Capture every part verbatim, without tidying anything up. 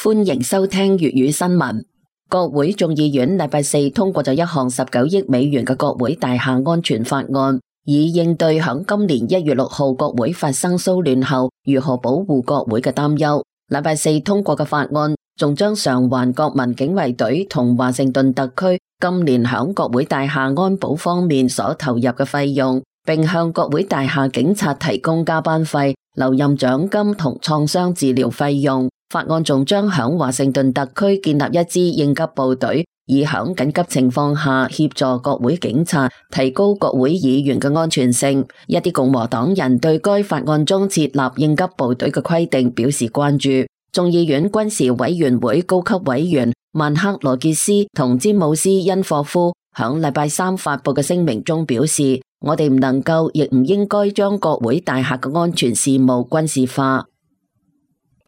歡迎收聽粵語新聞。國會眾議院禮拜四通過咗一項十九億美元嘅國會大廈安全法案，以應對響今年一月六號國會發生騷亂後如何保護國會嘅擔憂。禮拜四通過嘅法案仲將償還國民警衛隊同華盛頓特區今年響國會大廈安保方面所投入嘅費用，並向國會大廈警察提供加班費、留任獎金同創傷治療費用。法案仲將響華盛頓特區建立一支應急部隊，以響緊急情況下協助國會警察，提高國會議員嘅安全性。一啲共和黨人對該法案中設立應急部隊嘅規定表示關注。眾議院軍事委員會高級委員曼克羅傑斯同詹姆斯恩霍夫響禮拜三發佈嘅聲明中表示，我哋唔能夠亦唔應該將國會大廈嘅安全事務軍事化。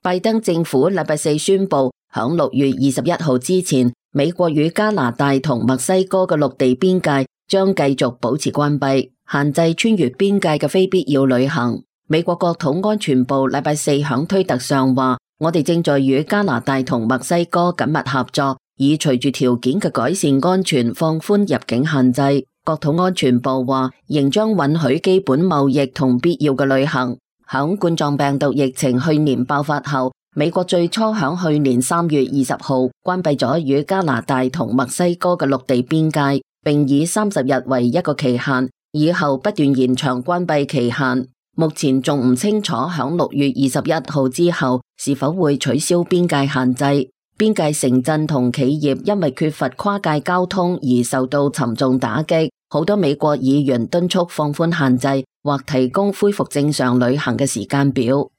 拜登政府禮拜四宣布，響六月二十一號之前，美國與加拿大同墨西哥嘅陸地邊界將繼續保持關閉，限制穿越邊界嘅非必要旅行。美國國土安全部禮拜四響推特上話，我哋正在與加拿大同墨西哥緊密合作，以隨住條件嘅改善安全放寬入境限制。國土安全部話，仍將允許基本貿易同必要嘅旅行。響冠狀病毒疫情去年爆發後，美國最初響去年三月二十號關閉咗與加拿大同墨西哥嘅陸地邊界，並以三十日為一個期限，以後不斷延長關閉期限。目前仲唔清楚響六月二十一號之後是否會取消邊界限制。邊界城鎮同企業因為缺乏跨界交通而受到沉重打擊，好多美國議員敦促放寬限制或提供恢復正常旅行嘅時間表。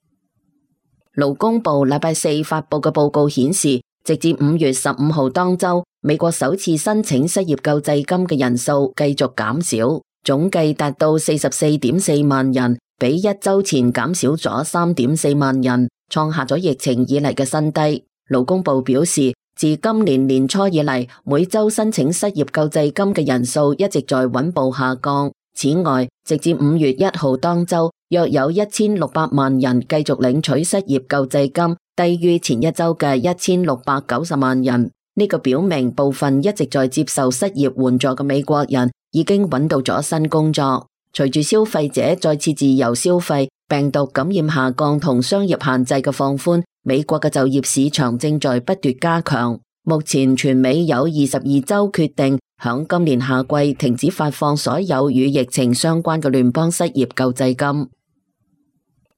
勞工部禮拜四發佈嘅報告顯示，直至五月十五號當周，美國首次申請失業救濟金嘅人數繼續減少，總計達到四十四點四萬人，比一周前減少咗三點四萬人，創下咗疫情以嚟嘅新低。勞工部表示，自今年年初以嚟，每周申請失業救濟金嘅人數一直在穩步下降。此外，直至五月一號當周，約有一千六百萬人繼續領取失業救濟金，低於前一周嘅一千六百九十萬人。呢個表明部分一直在接受失業援助嘅美國人已經揾到咗新工作。隨住消費者再次自由消費，病毒感染下降同商業限制嘅放寬，美國嘅就業市場正在不斷加強。目前全美有二十二州決定響今年夏季停止發放所有與疫情相關嘅聯邦失業救濟金。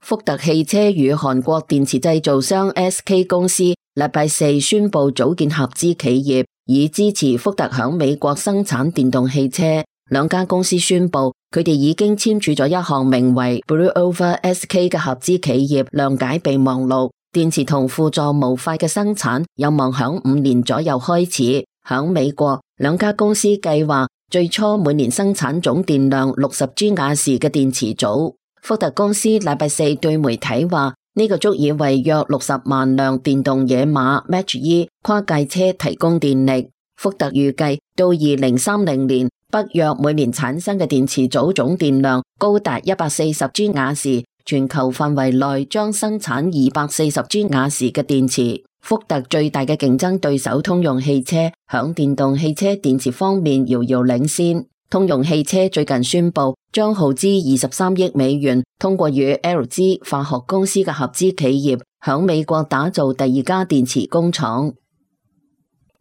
福特汽車與韓國電池製造商 S K 公司禮拜四宣布組建合資企業，以支持福特響美國生產電動汽車。兩家公司宣布，佢哋已經簽署咗一項名為 Blue Over S K 嘅合資企業諒解備忘錄。電池同輔助模塊嘅生產有望響五年左右開始。響美國，兩家公司計劃最初每年生產總電量六十吉瓦時嘅電池組。福特公司禮拜四對媒體話，呢個足以為約六十萬輛電動野馬 Mach-E 跨界車提供電力。福特預計到二零三零年，北約每年產生嘅電池組總電量高達一百四十吉瓦時，全球範圍內將生產二百四十吉瓦時嘅電池。福特最大嘅競爭對手通用汽車響電動汽車電池方面遙遙領先。通用汽車最近宣布將耗資二十三億美元，通過與 L G 化學公司嘅合資企業響美國打造第二家電池工廠。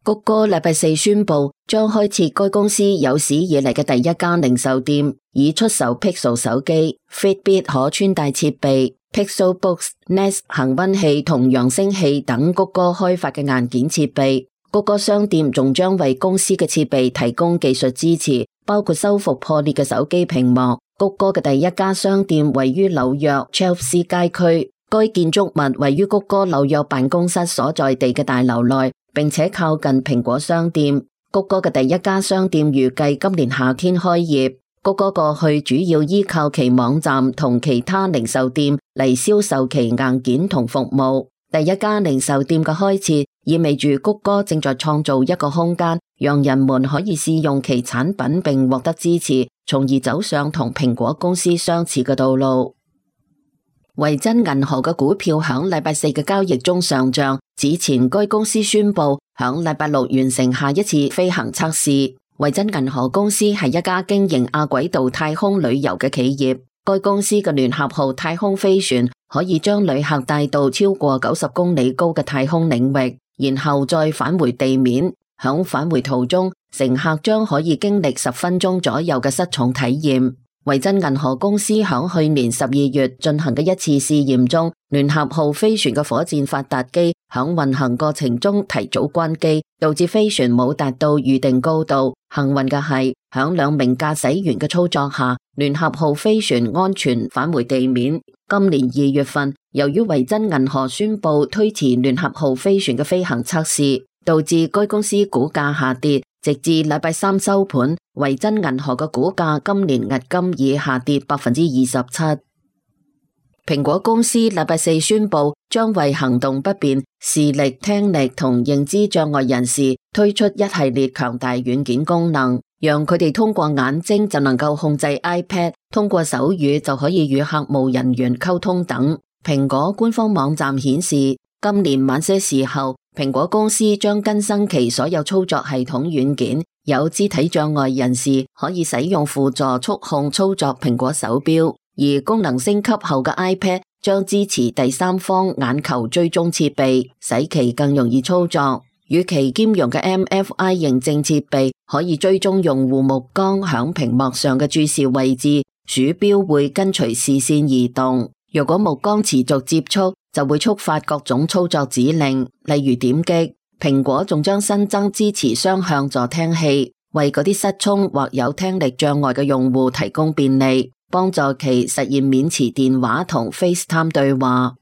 谷歌禮拜四宣布將開設該公司有史以嚟嘅第一家零售店，以出售 Pixel 手機、Fitbit 可穿戴設備、Pixel Books、Nest 恆溫器同揚聲器等谷歌開發嘅硬件設備。谷歌商店仲將為公司嘅設備提供技術支持，包括修復破裂嘅手機屏幕。谷歌嘅第一家商店位於紐約 Chelsea 街區，該建築物位於谷歌紐約辦公室所在地嘅大樓內，並且靠近蘋果商店。谷歌嘅第一家商店預計今年夏天開業。谷歌過去主要依靠其網站同其他零售店嚟銷售其硬件同服務。第一家零售店嘅開設意味住谷歌正在創造一個空間，讓人們可以試用其產品並獲得支持，從而走上同蘋果公司相似嘅道路。維珍銀河嘅股票響禮拜四嘅交易中上漲，此前該公司宣布響禮拜六完成下一次飛行測試。維珍銀河公司係一家經營亞軌道太空旅遊嘅企業，該公司嘅聯合號太空飛船可以將旅客帶到超過九十公里高嘅太空領域，然後再返回地面。響返回途中，乘客將可以經歷十分鐘左右嘅失重體驗。維珍銀河公司響去年十二月進行嘅一次試驗中，聯合號飛船嘅火箭發達機響運行過程中提早關機，導致飛船冇達到預定高度。幸運嘅係，響兩名駕駛員嘅操作下，聯合號飛船安全返回地面。今年二月份，由於維珍銀河宣布推遲聯合號飛船嘅飛行測試，導致該公司股價下跌，直至禮拜三收盤，維珍銀河嘅股價今年迄今已下跌百分之二十七。蘋果公司禮拜四宣布將為行動不便、視力、聽力同認知障礙人士推出一系列強大軟件功能，讓佢哋通過眼睛就能夠控制 iPad， 通過手語就可以與客務人員溝通等。蘋果官方網站顯示，今年晚些時候，蘋果公司將更新其所有操作系統軟件，有肢體障礙人士可以使用輔助觸控操作蘋果手錶，而功能升級後嘅 iPad 將支持第三方眼球追蹤設備，使其更容易操作。與其兼容嘅 M F I 認證設備可以追蹤用戶目光響屏幕上嘅注視位置，鼠標會跟隨視線移動。如果目光持續接觸，就會觸發各種操作指令，例如點擊。蘋果仲將新增支持雙向助聽器，為嗰啲失聰或有聽力障礙嘅用戶提供便利，幫助其實現免持電話同 FaceTime 對話。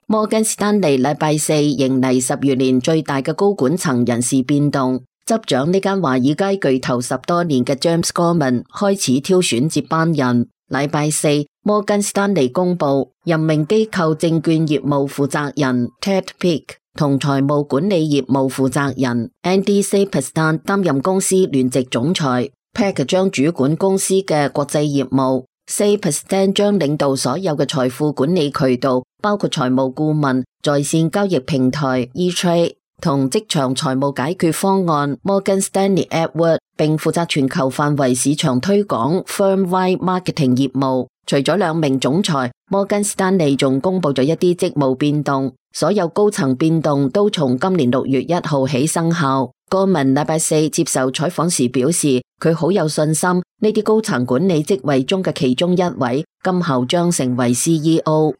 摩根士丹利禮拜四迎嚟十餘年最大嘅高管層人事變動，執掌呢間華爾街巨頭十多年嘅 James Gorman 開始挑選接班人。禮拜四，摩根士丹利公布任命機構證券業務負責人 Ted Pick 同財務管理業務負責人 Andy Saperstein 擔任公司聯席總裁。Pick 將主管公司嘅國際業務， Saperstein 將領導所有嘅財富管理渠道，包括財務顧問、在線交易平台 E-Trade 同職場財務解決方案 Morgan Stanley Edward， 並負責全球範圍市場推廣 Firm-wide Marketing 業務。除咗兩名總裁，摩根士丹利仲公布咗一啲職務變動，所有高層變動都從今年六月一號起生效。戈文禮拜四接受採訪時表示，佢好有信心呢啲高層管理職位中嘅其中一位今後將成為 C E O。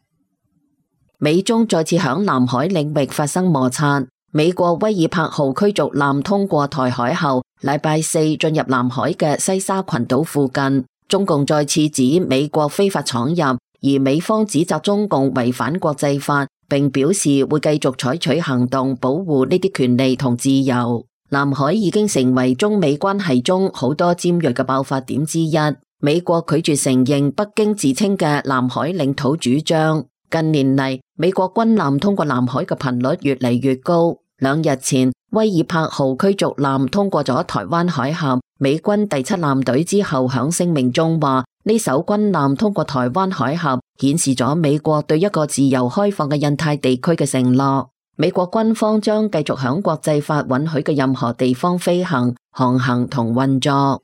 美中再次響南海領域發生摩擦。美國威爾柏號驅逐艦通過台海後，禮拜四進入南海嘅西沙群島附近。中共再次指美國非法闖入，而美方指責中共違反國際法，並表示會繼續採取行動保護呢啲權利同自由。南海已經成為中美關係中好多尖銳嘅爆發點之一。美國拒絕承認北京自稱嘅南海領土主張。近年嚟，美國軍艦通過南海嘅頻率越嚟越高。兩日前，威爾柏號驅逐艦通過咗台灣海峽，美軍第七艦隊之後響聲明中話，呢艘軍艦通過台灣海峽，顯示咗美國對一個自由開放嘅印太地區嘅承諾。美國軍方將繼續響國際法允許嘅任何地方飛行、航行同運作。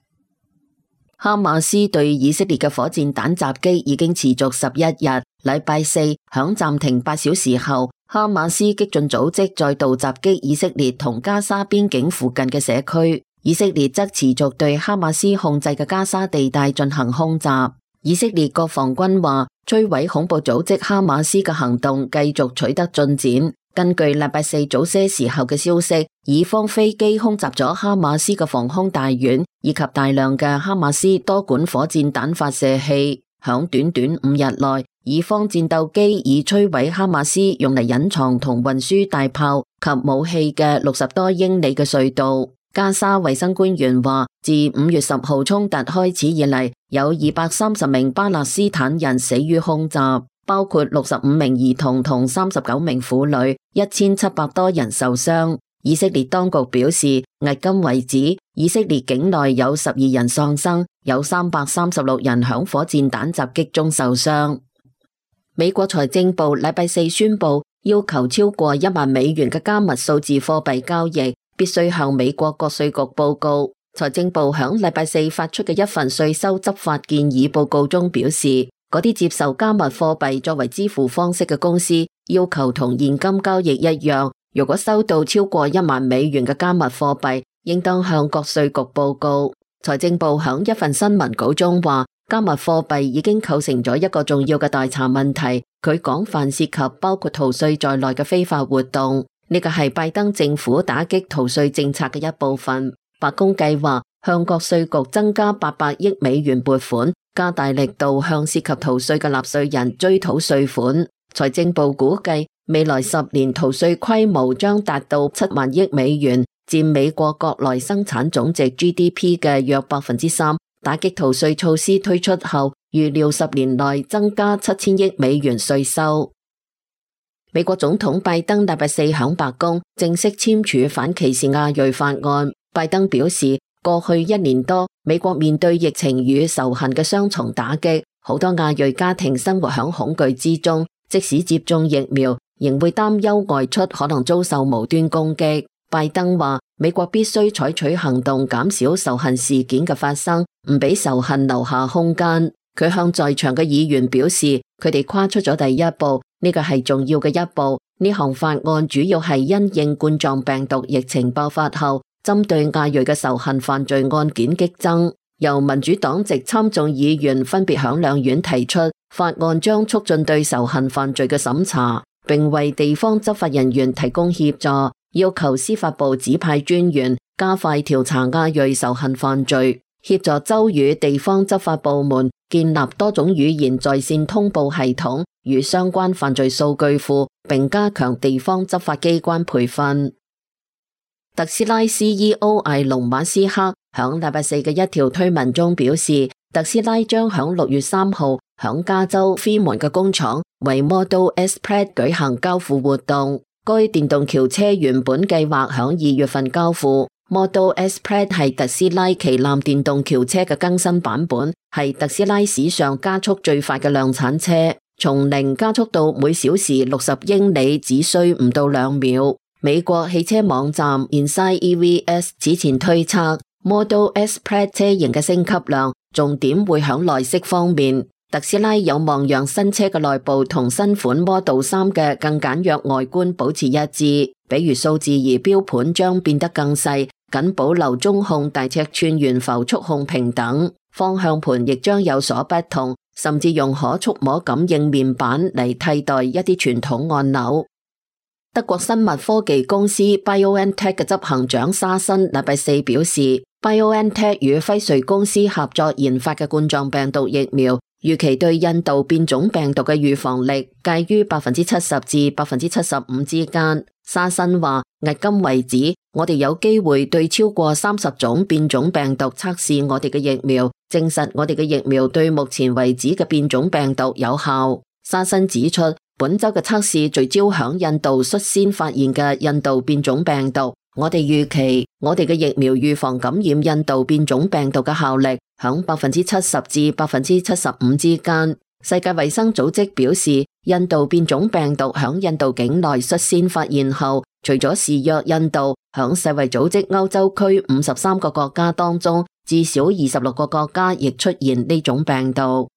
哈馬斯對以色列嘅火箭彈襲擊已經持續十一日，禮拜四響暫停八小時後，哈馬斯激進組織再度襲擊以色列同加沙邊境附近嘅社區，以色列則持續對哈馬斯控制嘅加沙地帶進行空襲。以色列國防軍話，摧毀恐怖組織哈馬斯嘅行動繼續取得進展。根據禮拜四早些時候嘅消息，以方飛機空襲咗哈馬斯嘅防空大院，以及大量嘅哈馬斯多管火箭彈發射器。響短短五日內，以方戰鬥機已摧毀哈馬斯用嚟隱藏同運輸大炮及武器嘅六十多英里嘅隧道。加沙衛生官員話，自五月十號衝突開始以嚟，有二百三十名巴勒斯坦人死於空襲，包括六十五名兒童同三十九名婦女，一千七百多人受傷。以色列當局表示，迄今為止，以色列境內有十二人喪生，有三百三十六人響火箭彈襲擊中受傷。美國財政部禮拜四宣布，要求超過一萬美元嘅加密數字貨幣交易必須向美國國稅局報告。財政部響禮拜四發出嘅一份稅收執法建議報告中表示，嗰啲接受加密貨幣作為支付方式嘅公司，要求同現金交易一樣，如果收到超過一萬美元嘅加密貨幣，應當向國稅局報告。財政部響一份新聞稿中話，加密貨幣已經構成咗一個重要嘅待查問題，佢廣泛涉及包括逃稅在內嘅非法活動。呢個係拜登政府打擊逃稅政策嘅一部分。白宮計劃向國稅局增加八百億美元撥款，加大力度向涉及逃稅嘅納稅人追討稅款。財政部估計未來十年逃稅規模將達到七萬億美元，佔美國國內生產總值 G D P 嘅約百分之三。打擊逃稅措施推出後，預料十年內增加七千億美元稅收。美國總統拜登禮拜四響白宮正式簽署反歧視亞裔法案。拜登表示，過去一年多，美國面對疫情與仇恨嘅雙重打擊，好多亞裔家庭生活響恐懼之中，即使接種疫苗，仍會擔憂外出可能遭受無端攻擊。拜登話，美國必須採取行動，減少仇恨事件嘅發生，唔俾仇恨留下空間。佢向在場嘅議員表示，佢哋跨出咗第一步，呢個係重要嘅一步。呢項法案主要係因應冠狀病毒疫情爆發後，針對亞裔嘅仇恨犯罪案件激增。由民主黨籍參眾議員分別響兩院提出，法案將促進對仇恨犯罪嘅審查，並為地方執法人員提供協助，要求司法部指派專員加快調查亞裔仇恨犯罪，協助州與地方執法部門建立多種語言在線通報系統與相關犯罪數據庫，並加強地方執法機關培訓。特斯拉 C E O 埃隆馬斯克響禮拜四嘅一條推文中表示，特斯拉將響六月三號響加州飛門嘅工廠為 Model S Plaid 舉行交付活動。該電動轎車原本計劃響二月份交付。Model S Plaid 係特斯拉旗艦電動轎車嘅更新版本，係特斯拉史上加速最快嘅量產車，從零加速到每小時六十英里只需唔到兩秒。美國汽車網站 Inside E V S 此前推測 Model S Plaid 車型嘅升級量重點會響內飾方面，特斯拉有望讓新車嘅內部同新款 Model 三嘅更簡約外觀保持一致，比如數字儀錶盤將變得更細，僅保留中控大尺寸懸浮觸控屏等，方向盤亦將有所不同，甚至用可觸摸感應面板嚟替代一啲傳統按鈕。德國生物科技公司 BioNTech 嘅執行長沙申禮拜四表示， BioNTech 與輝瑞公司合作研發嘅冠狀病毒疫苗，預期對印度變種病毒嘅預防力介於百分之七十至百分之七十五之間。沙申話，迄今為止，我哋有機會對超過三十種變種病毒測試我哋嘅疫苗，證實我哋嘅疫苗對目前為止嘅變種病毒有效。沙申指出，本周嘅測試聚焦響印度率先發現嘅印度變種病毒。我哋預期我哋嘅疫苗預防感染印度變種病毒嘅效力響百分之七十至百分之七十五之間。世界衛生組織表示，印度變種病毒響印度境內率先發現後，除咗示弱印度，響世衛組織歐洲區五十三個國家當中，至少二十六個國家亦出現呢種病毒。